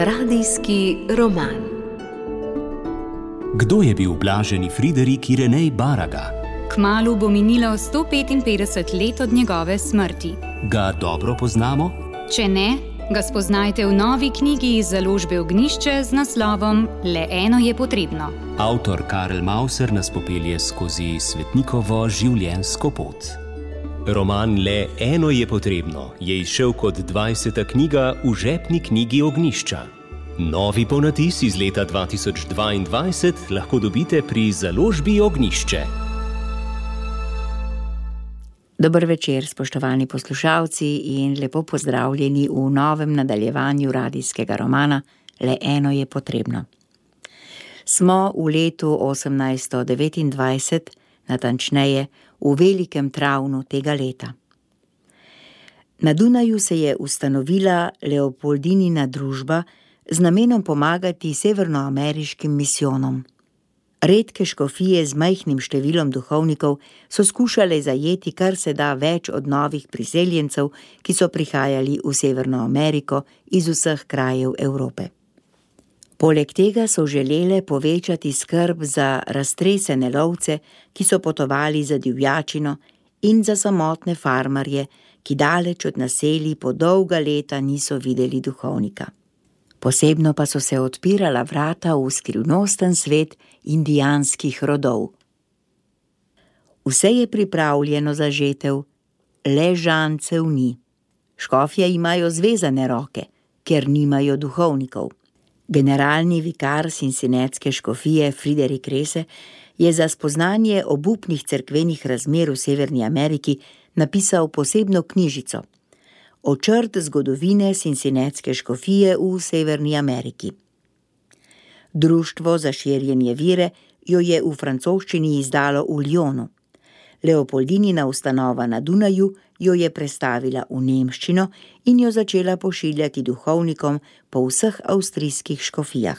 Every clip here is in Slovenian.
Radijski roman. Kdo je bil blaženi Friderik Irenej Baraga? Kmalu bo minilo 155 let od njegove smrti. Ga dobro poznamo? Če ne, ga spoznajte v novi knjigi iz založbe Ognjišče z naslovom Le eno je potrebno. Avtor Karel Mauser nas popelje skozi svetnikovo življenjsko pot. Roman Le eno je potrebno je izšel kot 20. knjiga v žepni knjigi Ognjišča. Novi ponatis iz leta 2022 lahko dobite pri založbi Ognjišče. Dober večer, spoštovani poslušalci, in lepo pozdravljeni v novem nadaljevanju radijskega romana Le eno je potrebno. Smo v letu 1829, natančneje v velikem travnu tega leta. Na Dunaju se je ustanovila Leopoldinina družba z namenom pomagati severnoameriškim misijonom. Redke škofije z majhnim številom duhovnikov so skušale zajeti kar se da več od novih priseljencev, ki so prihajali v Severno Ameriko iz vseh krajev Evrope. Poleg tega so želele povečati skrb za raztresene lovce, ki so potovali za divjačino, in za samotne farmarje, ki daleč od naselij po dolga leta niso videli duhovnika. Posebno pa so se odpirala vrata v skrivnosten svet indijanskih rodov. Vse je pripravljeno za žetev, le žancev ni. Škofje imajo zvezane roke, ker nimajo duhovnikov. Generalni vikar Cincinnatske škofije Friderik Rese je za spoznanje obupnih cerkvenih razmer v Severni Ameriki napisal posebno knjižico Očrt zgodovine Cincinnatske škofije v Severni Ameriki. Društvo za širjenje vire jo je v francoščini izdalo v Lyonu. Leopoldinina ustanova na Dunaju jo je prestavila v nemščino in jo začela pošiljati duhovnikom po vseh avstrijskih škofijah.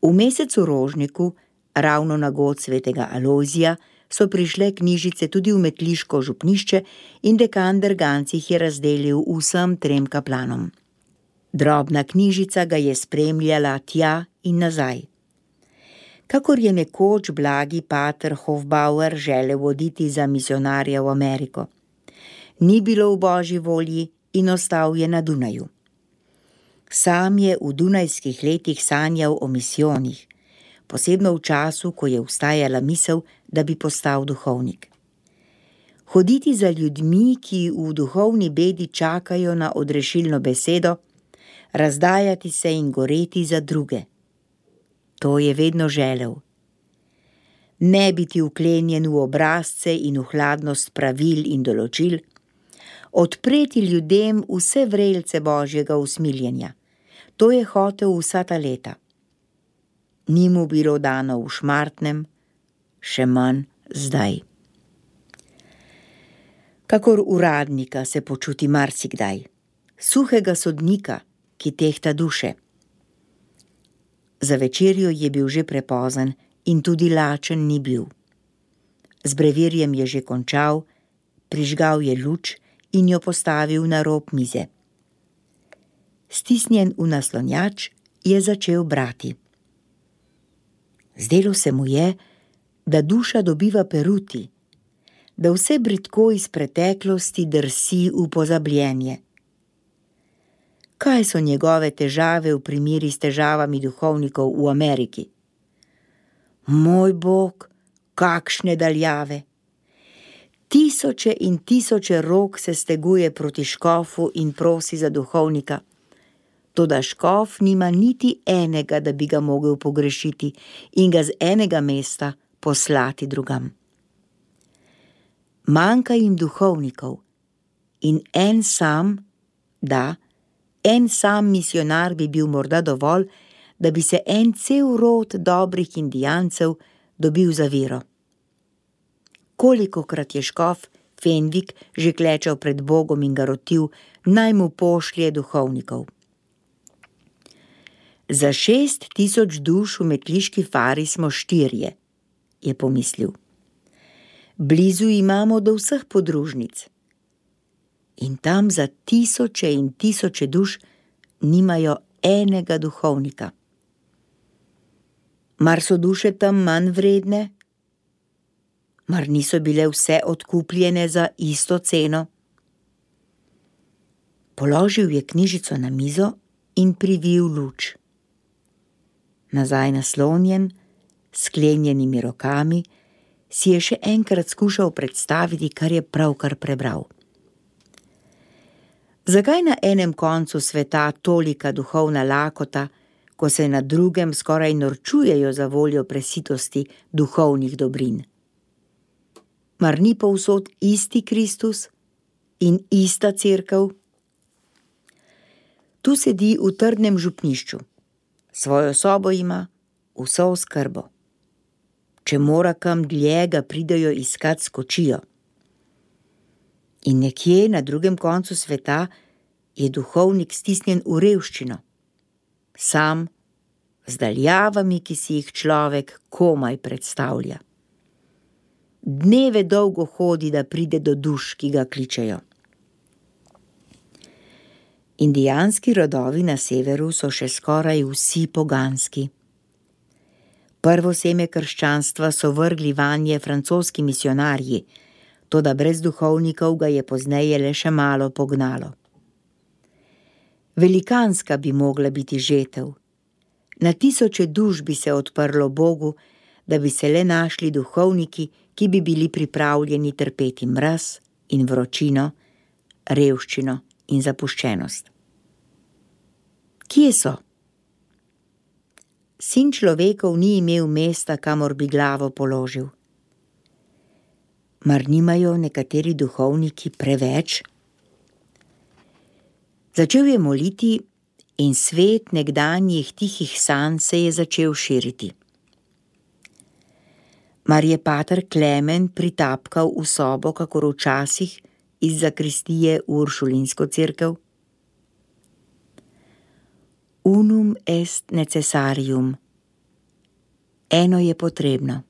V mesecu rožniku, ravno na god svetega Alojzija, so prišle knjižice tudi v metliško župnišče in dekan Berganc jih je razdelil vsem 3 kaplanom. Drobna knjižica ga je spremljala tja in nazaj. Kakor je nekoč blagi pater Hofbauer želel voditi za misionarja v Ameriko. Ni bilo v božji volji in ostal je na Dunaju. Sam je v dunajskih letih sanjal o misijonih, posebno v času, ko je vstajala misel, da bi postal duhovnik. Hoditi za ljudmi, ki v duhovni bedi čakajo na odrešilno besedo, razdajati se in goreti za druge. To je vedno želel. Ne biti vklenjen v obrazce in v hladnost pravil in določil, odpreti ljudem vse vrelce božjega usmiljenja. To je hotel vsa ta leta. Ni mu bilo dano v Šmartnem, še manj zdaj. Kakor uradnika se počuti marsikdaj, suhega sodnika, ki tehta duše. Za večerjo je bil že prepozen in tudi lačen ni bil. Z brevirjem je že končal, prižgal je luč in jo postavil na rob mize. Stisnjen v naslonjač je začel brati. Zdelo se mu je, da duša dobiva peruti, da vse bridko iz preteklosti drsi v pozabljenje. Kaj so njegove težave v primeri s težavami duhovnikov v Ameriki? Moj Bog, kakšne daljave! Tisoče in tisoče rok se steguje proti škofu in prosi za duhovnika. Toda škof nima niti enega, da bi ga mogel pogrešiti in ga z enega mesta poslati drugam. Manjka jim duhovnikov in en sam misionar bi bil morda dovolj, da bi se en cel rod dobrih indijancev dobil za vero. Kolikokrat je škof Fenvik že klečal pred Bogom in ga rotil, naj mu pošlje duhovnikov. Za 6,000 duš v metliški fari smo 4, je pomislil. Blizu imamo do vseh podružnic. In tam za tisoče in tisoče duš nimajo enega duhovnika. Mar so duše tam manj vredne? Mar niso bile vse odkupljene za isto ceno? Položil je knjižico na mizo in privil luč. Nazaj naslonjen, s sklenjenimi rokami, si je še enkrat skušal predstaviti, kar je pravkar prebral. Zakaj na enem koncu sveta tolika duhovna lakota, ko se na drugem skoraj norčujejo za voljo presitosti duhovnih dobrin? Mar ni povsod isti Kristus in ista cerkev? Tu sedi v trdnem župnišču, svojo sobo ima, vso oskrbo. Če mora kam dlje, ga pridejo iskat skočijo. In nekje na drugem koncu sveta je duhovnik stisnjen v revščino, sam, z daljavami, ki si jih človek komaj predstavlja. Dneve dolgo hodi, da pride do duš, ki ga kličejo. Indijanski rodovi na severu so še skoraj vsi poganski. Prvo seme krščanstva so vrgli vanje francoski misionarji, toda brez duhovnikov ga je pozneje le še malo pognalo. Velikanska bi mogla biti žetev. Na tisoče duš bi se odprlo Bogu, da bi se le našli duhovniki, ki bi bili pripravljeni trpeti mraz in vročino, revščino in zapuščenost. Kje so? Sin človekov ni imel mesta, kamor bi glavo položil. Mar nimajo nekateri duhovniki preveč? Začel je moliti in svet nekdanjih tihih sanj se je začel širiti. Mar je pater Klemen pritapkal v sobo, kakor včasih iz zakristije v uršulinsko cerkev? Unum est necessarium. Eno je potrebno.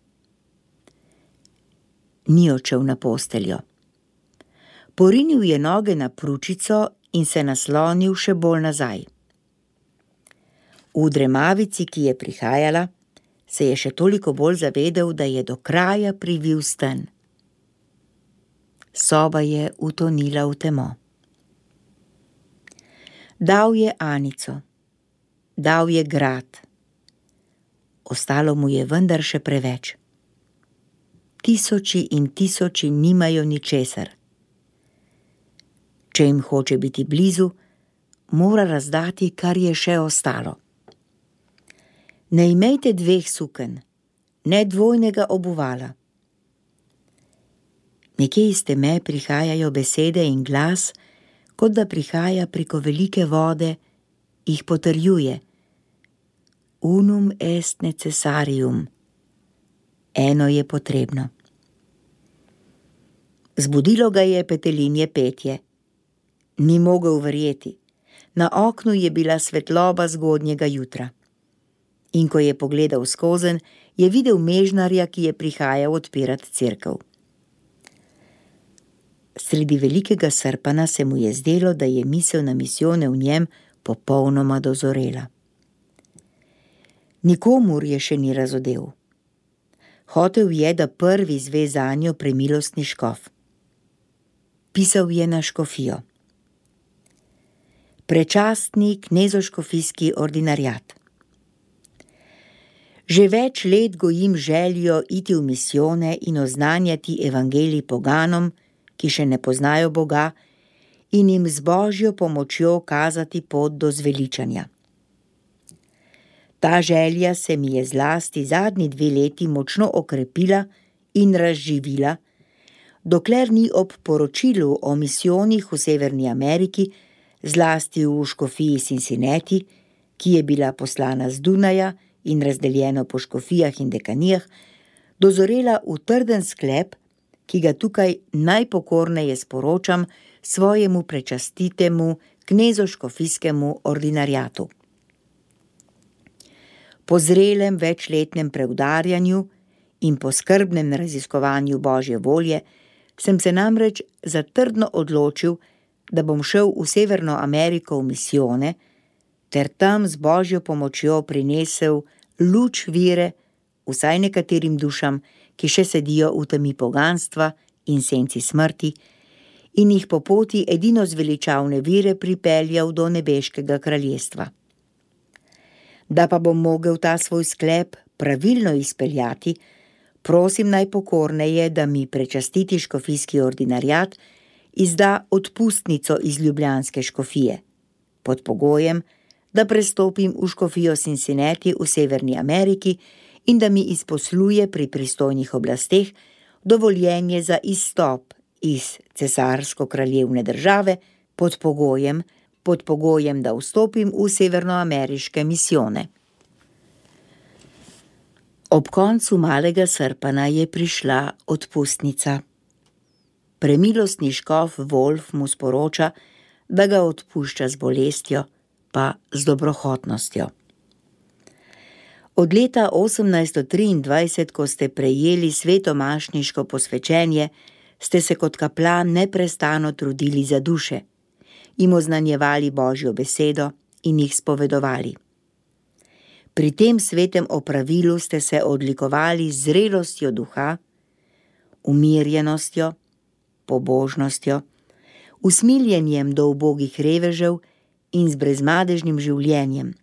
Ni odšel na posteljo. Porinil je noge na pručico in se naslonil še bolj nazaj. V dremavici, ki je prihajala, se je še toliko bolj zavedel, da je do kraja privil sten. Soba je utonila v temo. Dal je Anico, dal je grad. Ostalo mu je vendar še preveč. Tisoči in tisoči nimajo ničesar. Če jim hoče biti blizu, mora razdati, kar je še ostalo. Ne imejte dveh suken, ne dvojnega obuvala. Nekje iz teme prihajajo besede in glas, kot da prihaja preko velike vode, jih potrjuje. Unum est necessarium. Eno je potrebno. Zbudilo ga je petelinje petje. Ni mogel verjeti. Na oknu je bila svetloba zgodnjega jutra. In ko je pogledal skozenj, je videl mežnarja, ki je prihajal odpirat cerkev. Sredi velikega srpana se mu je zdelo, da je misel na misijone v njem popolnoma dozorela. Nikomur je še ni razodel. Hotel je, da prvi zve zanjo premilostni škof. Pisal je na škofijo. Prečastni knezoškofijski ordinarjat. Že več let gojim željo iti v misijone in oznanjati evangelij poganom, ki še ne poznajo Boga, in jim z Božjo pomočjo kazati pot do zveličanja. Ta želja se mi je zlasti zadnji 2 leti močno okrepila in razživila, dokler ni ob poročilu o misijonih v Severni Ameriki, zlasti v škofiji Cincinnati, ki je bila poslana z Dunaja in razdeljeno po škofijah in dekanijah, dozorela v trden sklep, ki ga tukaj najpokorneje sporočam svojemu prečastitemu knezoškofijskemu ordinarjatu. Po zrelem večletnem preudarjanju in po skrbnem raziskovanju Božje volje sem se namreč zatrdno odločil, da bom šel v Severno Ameriko v misijone, ter tam z Božjo pomočjo prinesel luč vire vsaj nekaterim dušam, ki še sedijo v temi poganstva in senci smrti, in jih po poti edino zveličavne vire pripeljal do nebeškega kraljestva. Da pa bom mogel ta svoj sklep pravilno izpeljati, prosim najpokorneje, da mi prečastiti škofijski ordinarjat izda odpustnico iz ljubljanske škofije, pod pogojem, da prestopim v škofijo Cincinnati v Severni Ameriki in da mi izposluje pri pristojnih oblasteh dovoljenje za izstop iz cesarsko-kraljevne države pod pogojem, da vstopim v severnoameriške misijone. Ob koncu malega srpana je prišla odpustnica. Premilostni škof Wolf mu sporoča, da ga odpušča z bolestjo, pa z dobrohotnostjo. Od leta 1823, ko ste prejeli svetomašniško posvečenje, ste se kot kaplan neprestano trudili za duše, jim oznanjevali Božjo besedo in jih spovedovali. Pri tem svetem opravilu ste se odlikovali z zrelostjo duha, umirjenostjo, pobožnostjo, usmiljenjem do ubogih revežev in z brezmadežnim življenjem,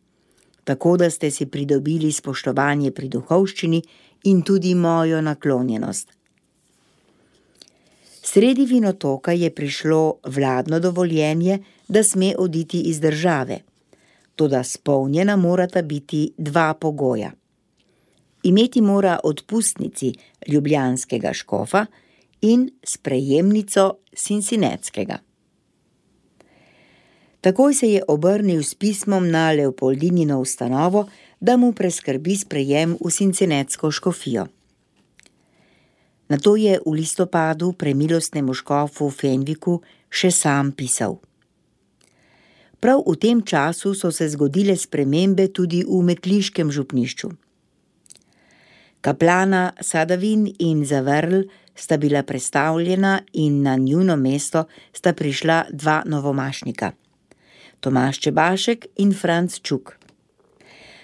tako da ste si pridobili spoštovanje pri duhovščini in tudi mojo naklonjenost. Sredi Vinotoka je prišlo vladno dovoljenje, da sme oditi iz države, toda spolnjena morata biti dva pogoja. Imeti mora odpustnici ljubljanskega škofa in sprejemnico Cincinnatskega. Takoj se je obrnil s pismom na Leopoldinino ustanovo, da mu preskrbi sprejem v Cincinnatsko škofijo. Nato je v listopadu premilostnemu škofu Fenwiku še sam pisal. Prav v tem času so se zgodile spremembe tudi v metliškem župnišču. Kaplana Sadavin in Zavrl sta bila prestavljena in na njuno mesto sta prišla dva novomašnika, Tomaž Čebašek in Franc Čuk.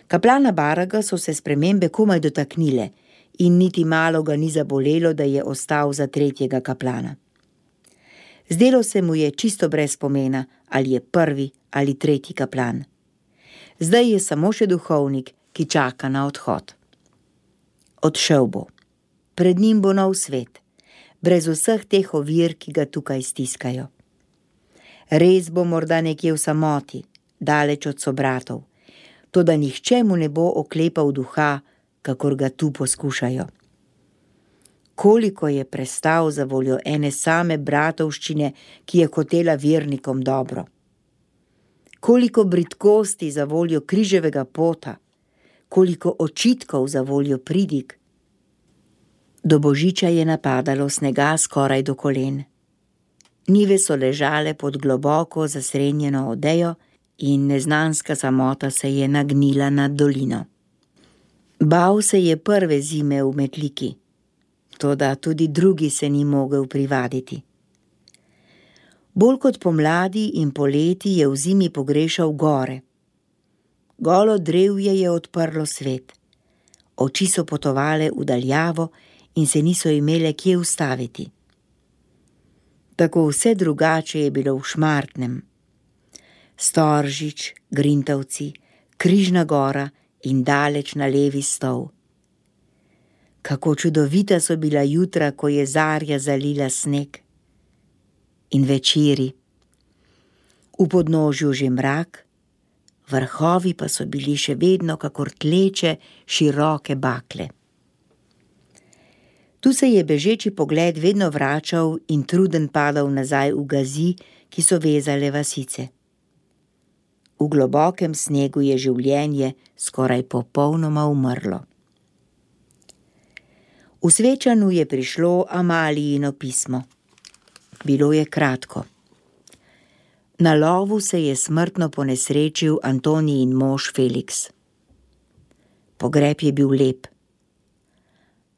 Kaplana Baraga so se spremembe komaj dotaknile in niti malo ga ni zabolelo, da je ostal za tretjega kaplana. Zdelo se mu je čisto brez pomena, ali je prvi ali tretji kaplan. Zdaj je samo še duhovnik, ki čaka na odhod. Odšel bo. Pred njim bo nov svet, brez vseh teh ovir, ki ga tukaj stiskajo. Res bo morda nekje v samoti, daleč od sobratov, toda nihče mu ne bo oklepal duha, kakor ga tu poskušajo. Koliko je prestal za voljo ene same bratovščine, ki je hotela vernikom dobro. Koliko bridkosti za voljo križevega pota, koliko očitkov za voljo pridig. Do božiča je napadalo snega skoraj do kolen. Njive so ležale pod globoko zasrenjeno odejo in neznanska samota se je nagnila nad dolino. Bal se je prve zime v Metliki, toda tudi drugi se ni mogel privaditi. Bolj kot pomladi in poleti je v zimi pogrešal gore. Golo drevje je odprlo svet. Oči so potovale v daljavo in se niso imele kje ustaviti. Tako vse drugače je bilo v Šmartnem. Storžič, Grintovci, Križna gora in daleč na levi stol. Kako čudovita so bila jutra, ko je zarja zalila sneg. In večeri. V podnožju že mrak, vrhovi pa so bili še vedno kakor tleče široke bakle. Tu se je bežeči pogled vedno vračal in truden padal nazaj v gazi, ki so vezale vasice. V globokem snegu je življenje skoraj popolnoma umrlo. V Svečanu je prišlo Amalijino pismo. Bilo je kratko. Na lovu se je smrtno ponesrečil Antonijin mož Felix. Pogreb je bil lep.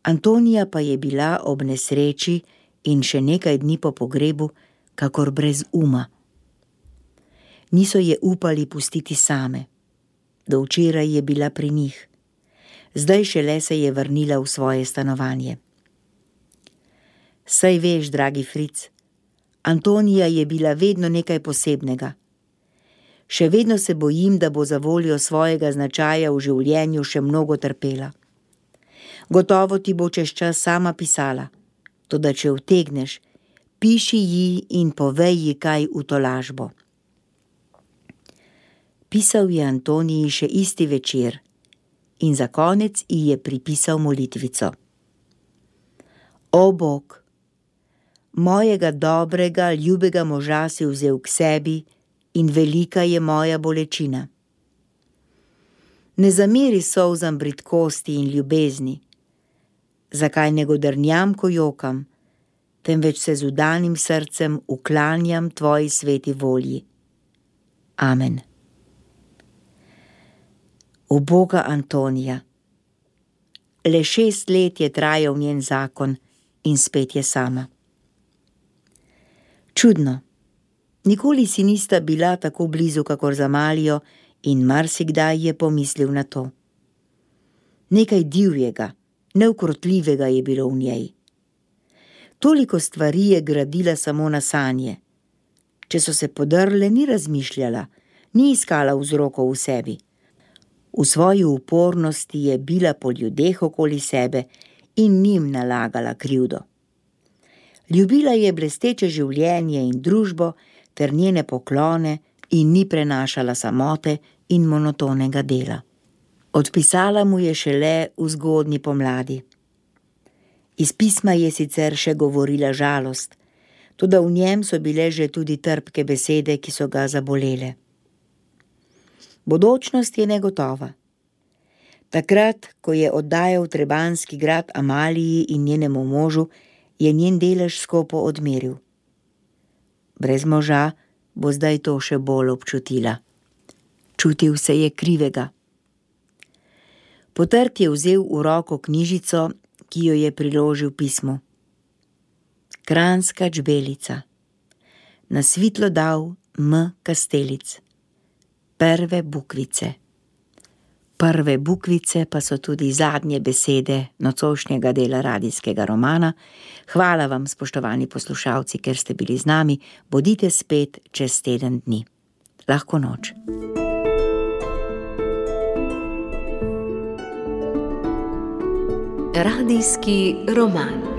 Antonija pa je bila ob nesreči in še nekaj dni po pogrebu kakor brez uma. Niso je upali pustiti same. Do včeraj je bila pri njih. Zdaj šele se je vrnila v svoje stanovanje. Saj veš, dragi Fric, Antonija je bila vedno nekaj posebnega. Še vedno se bojim, da bo za voljo svojega značaja v življenju še mnogo trpela. Gotovo ti bo čez čas sama pisala, toda če utegneš, piši ji in povej ji kaj v tolažbo. Pisal je Antoniji še isti večer in za konec ji je pripisal molitvico. O Bog, mojega dobrega, ljubega moža si vzel k sebi in velika je moja bolečina. Ne zameri solzam bridkosti in ljubezni, zakaj ne godrnjam, ko jokam, temveč se z vdanim srcem uklanjam tvoji sveti volji. Amen. Uboga Antonija. Le 6 let je trajal njen zakon in spet je sama. Čudno, nikoli si nista bila tako blizu kakor za Malijo in marsikdaj je pomislil na to. Nekaj divjega, neukrotljivega je bilo v njej. Toliko stvari je gradila samo na sanje. Če so se podrle, ni razmišljala, ni iskala vzrokov v sebi. V svoji upornosti je bila po ljudeh okoli sebe in njim nalagala krivdo. Ljubila je blesteče življenje in družbo ter njene poklone in ni prenašala samote in monotonega dela. Odpisala mu je šele v zgodnji pomladi. Iz pisma je sicer še govorila žalost, toda v njem so bile že tudi trpke besede, ki so ga zabolele. Bodočnost je negotova. Takrat, ko je oddajal trebanski grad Amaliji in njenemu možu, je njen delež skopo odmeril. Brez moža bo zdaj to še bolj občutila. Čutil se je krivega. Potrt je vzel v roko knjižico, ki jo je priložil pismu. Kranjska čbelica. Na svitlo dal M. Kastelic. Prve bukvice. Prve bukvice pa so tudi zadnje besede nocojšnjega dela radijskega romana. Hvala vam, spoštovani poslušalci, ker ste bili z nami. Bodite spet čez teden dni. Lahko noč. Radijski roman.